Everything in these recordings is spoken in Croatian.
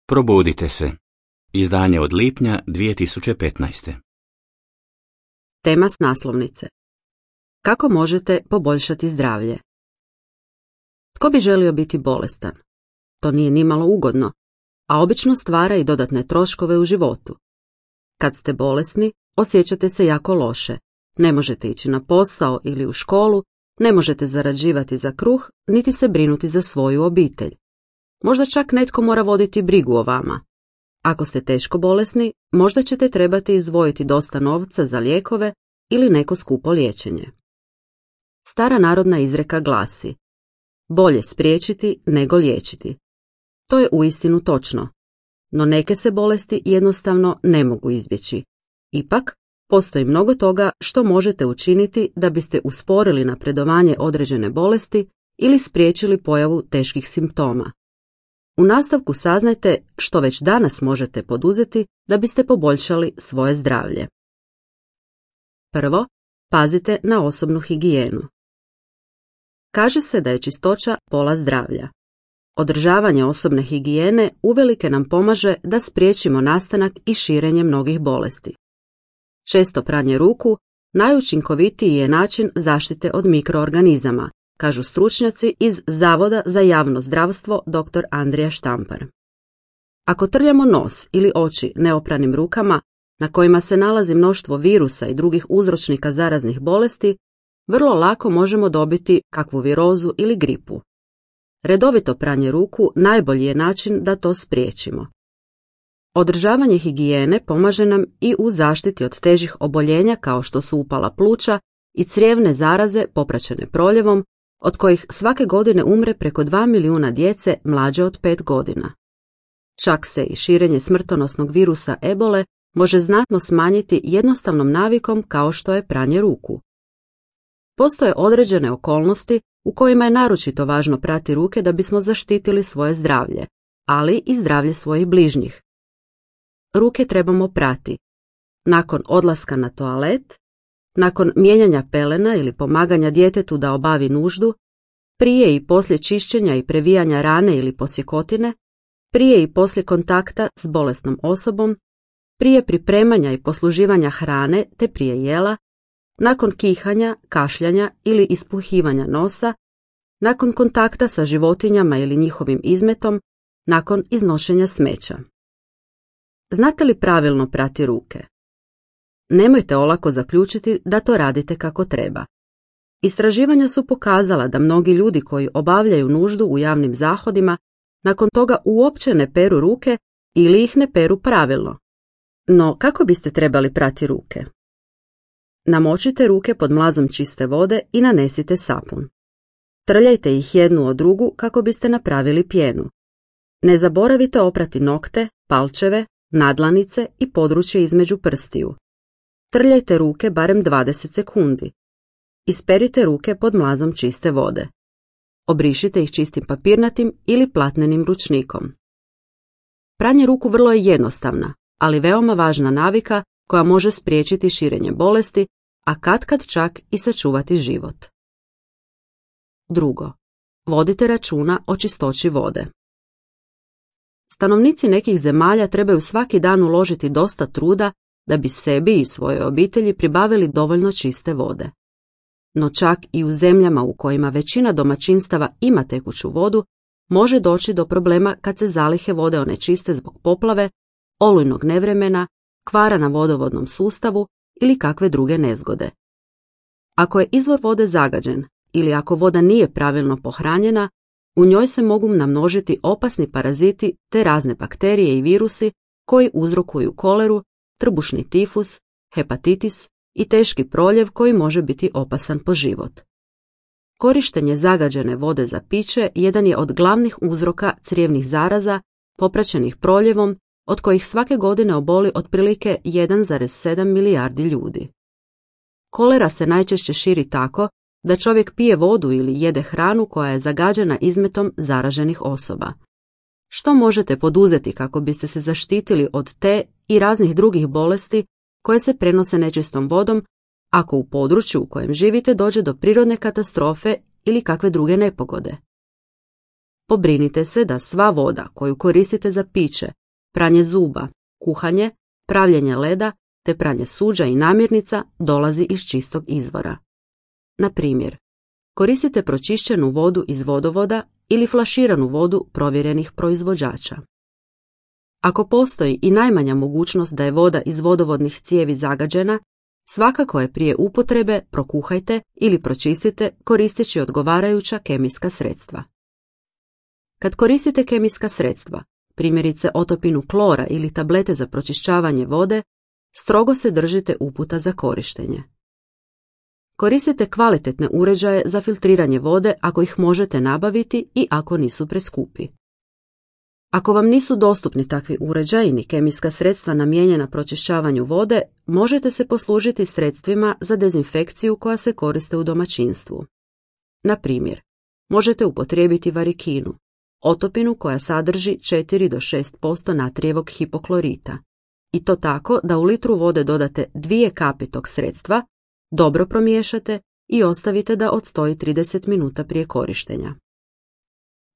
Probudite se. Izdanje od lipnja 2015. Tema s naslovnice. Kako možete poboljšati zdravlje? Tko bi želio biti bolestan? To nije nimalo ugodno, a obično stvara i dodatne troškove u životu. Kad ste bolesni, osjećate se jako loše. Ne možete ići na posao ili u školu, ne možete zarađivati za kruh, niti se brinuti za svoju obitelj. Možda čak netko mora voditi brigu o vama. Ako ste teško bolesni, možda ćete trebati izdvojiti dosta novca za lijekove ili neko skupo liječenje. Stara narodna izreka glasi: bolje spriječiti nego liječiti. To je uistinu točno, no neke se bolesti jednostavno ne mogu izbjeći. Ipak, postoji mnogo toga što možete učiniti da biste usporili napredovanje određene bolesti ili spriječili pojavu teških simptoma. U nastavku saznajte što već danas možete poduzeti da biste poboljšali svoje zdravlje. Prvo, pazite na osobnu higijenu. Kaže se da je čistoća pola zdravlja. Održavanje osobne higijene uvelike nam pomaže da spriječimo nastanak i širenje mnogih bolesti. Često pranje ruku najučinkovitiji je način zaštite od mikroorganizama, kažu stručnjaci iz Zavoda za javno zdravstvo dr. Andrija Štampar. Ako trljamo nos ili oči neopranim rukama, na kojima se nalazi mnoštvo virusa i drugih uzročnika zaraznih bolesti, vrlo lako možemo dobiti kakvu virozu ili gripu. Redovito pranje ruku najbolji je način da to spriječimo. Održavanje higijene pomaže nam i u zaštiti od težih oboljenja kao što su upala pluća i crijevne zaraze popraćene proljevom, od kojih svake godine umre preko 2 milijuna djece mlađe od 5 godina. Čak se i širenje smrtonosnog virusa ebole može znatno smanjiti jednostavnom navikom kao što je pranje ruku. Postoje određene okolnosti u kojima je naročito važno prati ruke da bismo zaštitili svoje zdravlje, ali i zdravlje svojih bližnjih. Ruke trebamo prati nakon odlaska na toalet, nakon mijenjanja pelena ili pomaganja djetetu da obavi nuždu, prije i poslije čišćenja i previjanja rane ili posjekotine, prije i poslije kontakta s bolesnom osobom, prije pripremanja i posluživanja hrane te prije jela, nakon kihanja, kašljanja ili ispuhivanja nosa, nakon kontakta sa životinjama ili njihovim izmetom, nakon iznošenja smeća. Znate li pravilno prati ruke? Nemojte olako zaključiti da to radite kako treba. Istraživanja su pokazala da mnogi ljudi koji obavljaju nuždu u javnim zahodima nakon toga uopće ne peru ruke ili ih ne peru pravilno. No, kako biste trebali prati ruke? Namočite ruke pod mlazom čiste vode i nanesite sapun. Trljajte ih jednu od drugu kako biste napravili pjenu. Ne zaboravite oprati nokte, palčeve, nadlanice i područje između prstiju. Trljajte ruke barem 20 sekundi. Isperite ruke pod mlazom čiste vode. Obrišite ih čistim papirnatim ili platnenim ručnikom. Pranje ruku vrlo je jednostavna, ali veoma važna navika koja može spriječiti širenje bolesti, a katkad čak i sačuvati život. Drugo, vodite računa o čistoći vode. Stanovnici nekih zemalja trebaju svaki dan uložiti dosta truda da bi sebi i svojoj obitelji pribavili dovoljno čiste vode. No čak i u zemljama u kojima većina domaćinstava ima tekuću vodu, može doći do problema kad se zalihe vode onečiste zbog poplave, olujnog nevremena, kvara na vodovodnom sustavu ili kakve druge nezgode. Ako je izvor vode zagađen ili ako voda nije pravilno pohranjena, u njoj se mogu namnožiti opasni paraziti te razne bakterije i virusi koji uzrokuju koleru, trbušni tifus, hepatitis i teški proljev koji može biti opasan po život. Korištenje zagađene vode za piće jedan je od glavnih uzroka crijevnih zaraza popraćenih proljevom, od kojih svake godine oboli otprilike 1,7 milijardi ljudi. Kolera se najčešće širi tako da čovjek pije vodu ili jede hranu koja je zagađena izmetom zaraženih osoba. Što možete poduzeti kako biste se zaštitili od te i raznih drugih bolesti koje se prenose nečistom vodom ako u području u kojem živite dođe do prirodne katastrofe ili kakve druge nepogode? pobrinite se da sva voda koju koristite za piće, pranje zuba, kuhanje, pravljenje leda te pranje suđa i namirnica dolazi iz čistog izvora. Na primjer, koristite pročišćenu vodu iz vodovoda ili flaširanu vodu provjerenih proizvođača. Ako postoji i najmanja mogućnost da je voda iz vodovodnih cijevi zagađena, svakako je prije upotrebe prokuhajte ili pročistite koristeći odgovarajuća kemijska sredstva. Kad koristite kemijska sredstva, primjerice otopinu klora ili tablete za pročišćavanje vode, strogo se držite uputa za korištenje. Koristite kvalitetne uređaje za filtriranje vode ako ih možete nabaviti i ako nisu preskupi. Ako vam nisu dostupni takvi uređaji ni kemijska sredstva namijenjena pročišćavanju vode, možete se poslužiti sredstvima za dezinfekciju koja se koriste u domaćinstvu. Na primjer, možete upotrijebiti varikinu, otopinu koja sadrži 4 do 6% natrijevog hipoklorita, i to tako da u litru vode dodate 2 kapi tog sredstva, dobro promiješate i ostavite da odstoji 30 minuta prije korištenja.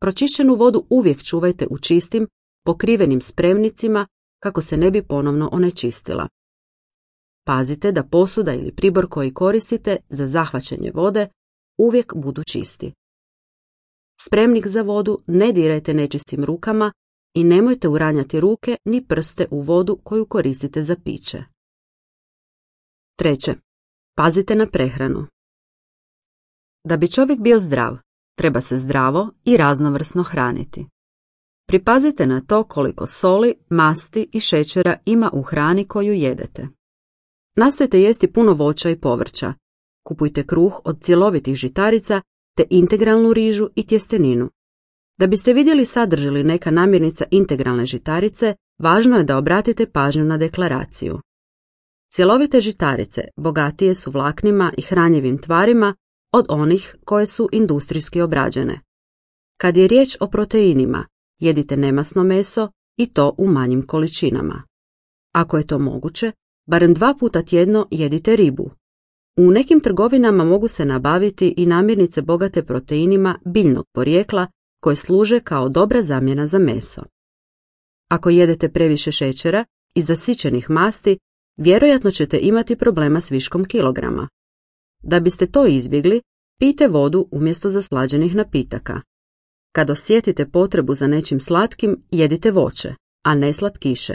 Pročišćenu vodu uvijek čuvajte u čistim, pokrivenim spremnicima kako se ne bi ponovno onečistila. Pazite da posuda ili pribor koji koristite za zahvaćenje vode uvijek budu čisti. Spremnik za vodu ne dirajte nečistim rukama i nemojte uranjati ruke ni prste u vodu koju koristite za piće. 3. Pazite na prehranu. Da bi čovjek bio zdrav, treba se zdravo i raznovrsno hraniti. Pripazite na to koliko soli, masti i šećera ima u hrani koju jedete. Nastojte jesti puno voća i povrća. Kupujte kruh od cjelovitih žitarica te integralnu rižu i tjesteninu. Da biste vidjeli sadrži li neka namirnica integralne žitarice, važno je da obratite pažnju na deklaraciju. Cjelovite žitarice bogatije su vlaknima i hranjivim tvarima od onih koje su industrijski obrađene. Kad je riječ o proteinima, jedite nemasno meso i to u manjim količinama. Ako je to moguće, barem 2 puta tjedno jedite ribu. U nekim trgovinama mogu se nabaviti i namirnice bogate proteinima biljnog porijekla koje služe kao dobra zamjena za meso. Ako jedete previše šećera i zasićenih masti, vjerojatno ćete imati problema s viškom kilograma. Da biste to izbjegli, pijte vodu umjesto zaslađenih napitaka. Kad osjetite potrebu za nečim slatkim, jedite voće, a ne slatkiše.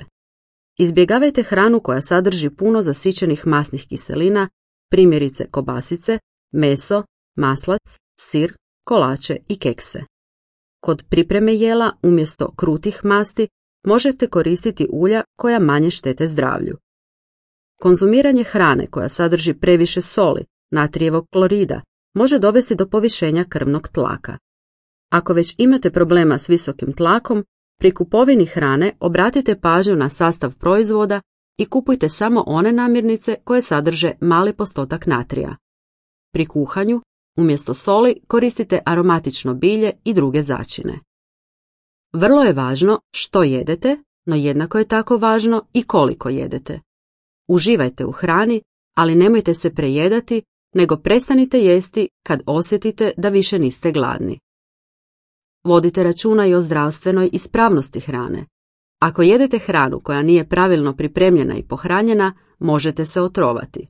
Izbjegavajte hranu koja sadrži puno zasićenih masnih kiselina, primjerice kobasice, meso, maslac, sir, kolače i kekse. Kod pripreme jela umjesto krutih masti možete koristiti ulja koja manje štete zdravlju. Konzumiranje hrane koja sadrži previše soli, natrijevog klorida, može dovesti do povišenja krvnog tlaka. Ako već imate problema s visokim tlakom, pri kupovini hrane obratite pažnju na sastav proizvoda i kupujte samo one namirnice koje sadrže mali postotak natrija. Pri kuhanju, umjesto soli, koristite aromatično bilje i druge začine. Vrlo je važno što jedete, no jednako je tako važno i koliko jedete. Uživajte u hrani, ali nemojte se prejedati, nego prestanite jesti kad osjetite da više niste gladni. Vodite računa i o zdravstvenoj ispravnosti hrane. Ako jedete hranu koja nije pravilno pripremljena i pohranjena, možete se otrovati.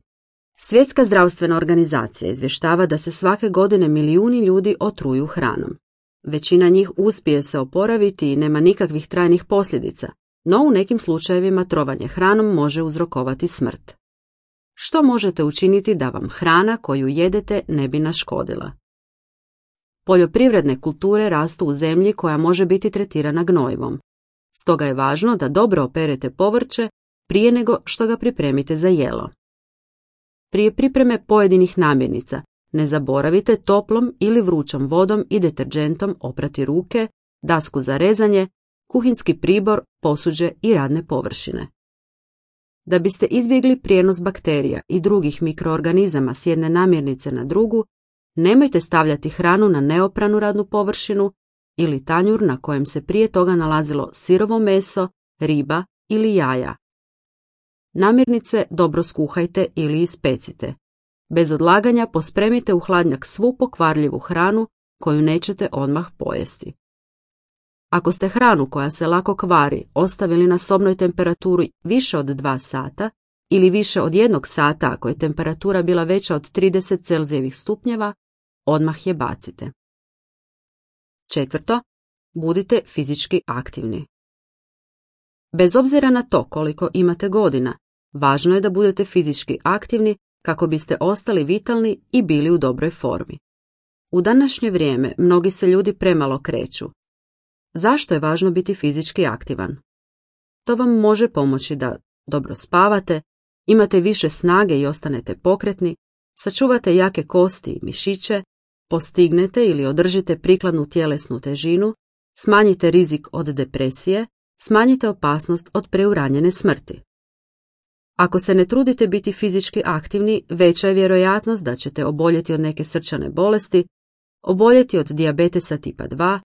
Svjetska zdravstvena organizacija izvještava da se svake godine milijuni ljudi otruju hranom. Većina njih uspije se oporaviti i nema nikakvih trajnih posljedica, no u nekim slučajevima trovanje hranom može uzrokovati smrt. Što možete učiniti da vam hrana koju jedete ne bi naškodila? Poljoprivredne kulture rastu u zemlji koja može biti tretirana gnojivom. Stoga je važno da dobro operete povrće prije nego što ga pripremite za jelo. Prije pripreme pojedinih namirnica ne zaboravite toplom ili vrućom vodom i deterdžentom oprati ruke, dasku za rezanje, kuhinski pribor, posuđe i radne površine. Da biste izbjegli prijenos bakterija i drugih mikroorganizama s jedne namirnice na drugu, nemojte stavljati hranu na neopranu radnu površinu ili tanjur na kojem se prije toga nalazilo sirovo meso, riba ili jaja. Namirnice dobro skuhajte ili ispecite. Bez odlaganja pospremite u hladnjak svu pokvarljivu hranu koju nećete odmah pojesti. Ako ste hranu koja se lako kvari ostavili na sobnoj temperaturi više od 2 sata ili više od 1 sata ako je temperatura bila veća od 30 Celzijevih stupnjeva, odmah je bacite. 4. Budite fizički aktivni. Bez obzira na to koliko imate godina, važno je da budete fizički aktivni kako biste ostali vitalni i bili u dobroj formi. U današnje vrijeme mnogi se ljudi premalo kreću. Zašto je važno biti fizički aktivan? To vam može pomoći da dobro spavate, imate više snage i ostanete pokretni, sačuvate jake kosti i mišiće, postignete ili održite prikladnu tjelesnu težinu, smanjite rizik od depresije, smanjite opasnost od preuranjene smrti. Ako se ne trudite biti fizički aktivni, veća je vjerojatnost da ćete oboljeti od neke srčane bolesti, oboljeti od dijabetesa tipa 2,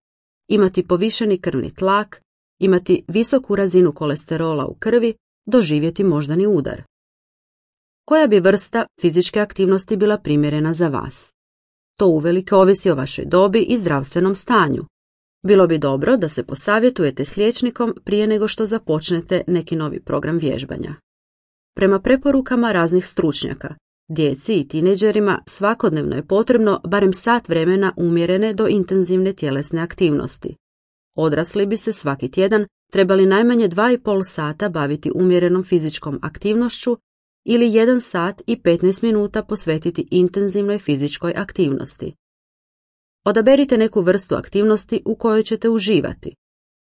imati povišeni krvni tlak, imati visoku razinu kolesterola u krvi, doživjeti moždani udar. Koja bi vrsta fizičke aktivnosti bila primjerena za vas? To uvelike ovisi o vašoj dobi i zdravstvenom stanju. Bilo bi dobro da se posavjetujete s liječnikom prije nego što započnete neki novi program vježbanja. Prema preporukama raznih stručnjaka, djeci i tinejdžerima svakodnevno je potrebno barem sat vremena umjerene do intenzivne tjelesne aktivnosti. Odrasli bi se svaki tjedan trebali najmanje 2,5 sata baviti umjerenom fizičkom aktivnošću ili 1 sat i 15 minuta posvetiti intenzivnoj fizičkoj aktivnosti. Odaberite neku vrstu aktivnosti u kojoj ćete uživati.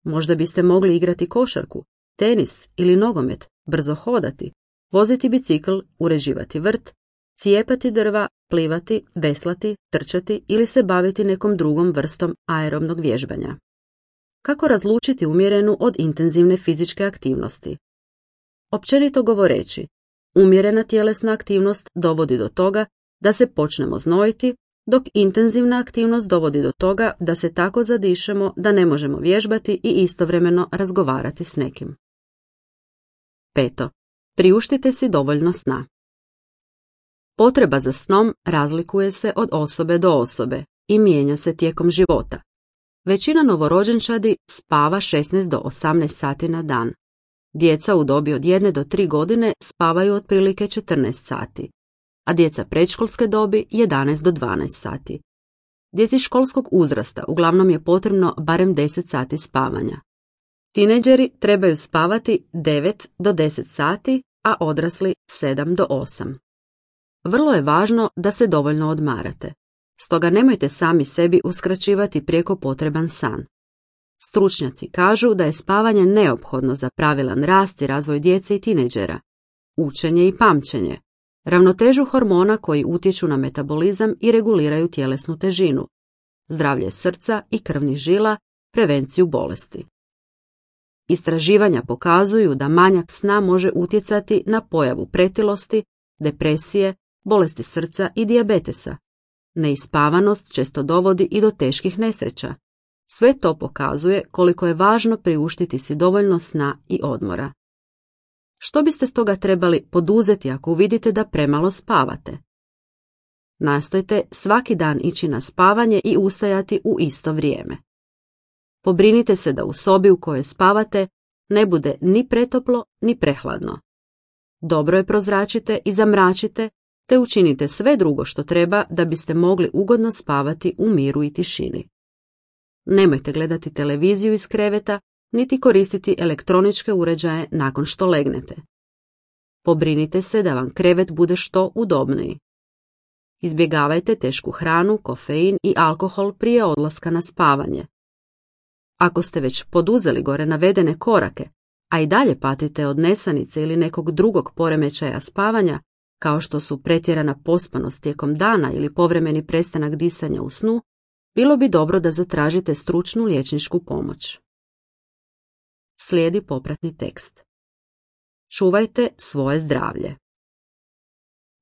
Možda biste mogli igrati košarku, tenis ili nogomet, brzo hodati, voziti bicikl, uređivati vrt, cijepati drva, plivati, veslati, trčati ili se baviti nekom drugom vrstom aerobnog vježbanja. Kako razlučiti umjerenu od intenzivne fizičke aktivnosti? Općenito govoreći, umjerena tjelesna aktivnost dovodi do toga da se počnemo znojiti, dok intenzivna aktivnost dovodi do toga da se tako zadišemo da ne možemo vježbati i istovremeno razgovarati s nekim. 5. Priuštite si dovoljno sna. Potreba za snom razlikuje se od osobe do osobe i mijenja se tijekom života. Većina novorođenčadi spava 16 do 18 sati na dan. Djeca u dobi od 1 do 3 godine spavaju otprilike 14 sati, a djeca predškolske dobi 11 do 12 sati. Djeci školskog uzrasta uglavnom je potrebno barem 10 sati spavanja. Tinejdžeri trebaju spavati 9 do 10 sati, a odrasli 7 do 8. Vrlo je važno da se dovoljno odmarate, stoga nemojte sami sebi uskraćivati prijeko potreban san. Stručnjaci kažu da je spavanje neophodno za pravilan rast i razvoj djece i tinejdžera, učenje i pamćenje, ravnotežu hormona koji utječu na metabolizam i reguliraju tjelesnu težinu, zdravlje srca i krvnih žila, prevenciju bolesti. Istraživanja pokazuju da manjak sna može utjecati na pojavu pretilosti, depresije, bolesti srca i dijabetesa. Neispavanost često dovodi i do teških nesreća. Sve to pokazuje koliko je važno priuštiti si dovoljno sna i odmora. Što biste stoga trebali poduzeti ako vidite da premalo spavate? Nastojte svaki dan ići na spavanje i ustajati u isto vrijeme. Pobrinite se da u sobi u kojoj spavate ne bude ni pretoplo ni prehladno. Dobro je prozračite i zamračite, te učinite sve drugo što treba da biste mogli ugodno spavati u miru i tišini. Nemojte gledati televiziju iz kreveta, niti koristiti elektroničke uređaje nakon što legnete. Pobrinite se da vam krevet bude što udobniji. Izbjegavajte tešku hranu, kofein i alkohol prije odlaska na spavanje. Ako ste već poduzeli gore navedene korake, a i dalje patite od nesanice ili nekog drugog poremećaja spavanja, kao što su pretjerana pospanost tijekom dana ili povremeni prestanak disanja u snu, bilo bi dobro da zatražite stručnu liječničku pomoć. Slijedi popratni tekst. Čuvajte svoje zdravlje.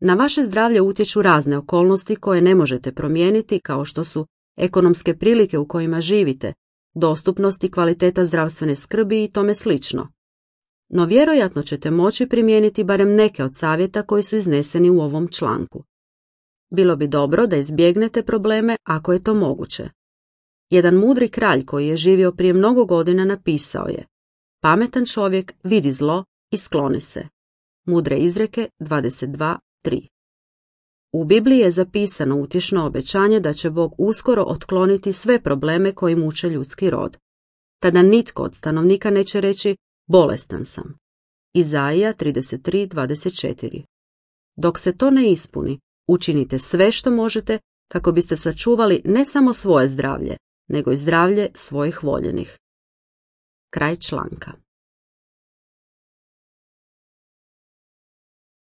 Na vaše zdravlje utječu razne okolnosti koje ne možete promijeniti, kao što su ekonomske prilike u kojima živite, dostupnost i kvaliteta zdravstvene skrbi i tome slično. No vjerojatno ćete moći primijeniti barem neke od savjeta koji su izneseni u ovom članku. Bilo bi dobro da izbjegnete probleme ako je to moguće. Jedan mudri kralj koji je živio prije mnogo godina napisao je: pametan čovjek vidi zlo i skloni se. Mudre izreke 22:3. U Bibliji je zapisano utješno obećanje da će Bog uskoro otkloniti sve probleme koji muče ljudski rod. Tada nitko od stanovnika neće reći: bolestan sam. Izaija 33:24. Dok se to ne ispuni, učinite sve što možete kako biste sačuvali ne samo svoje zdravlje, nego i zdravlje svojih voljenih. Kraj članka.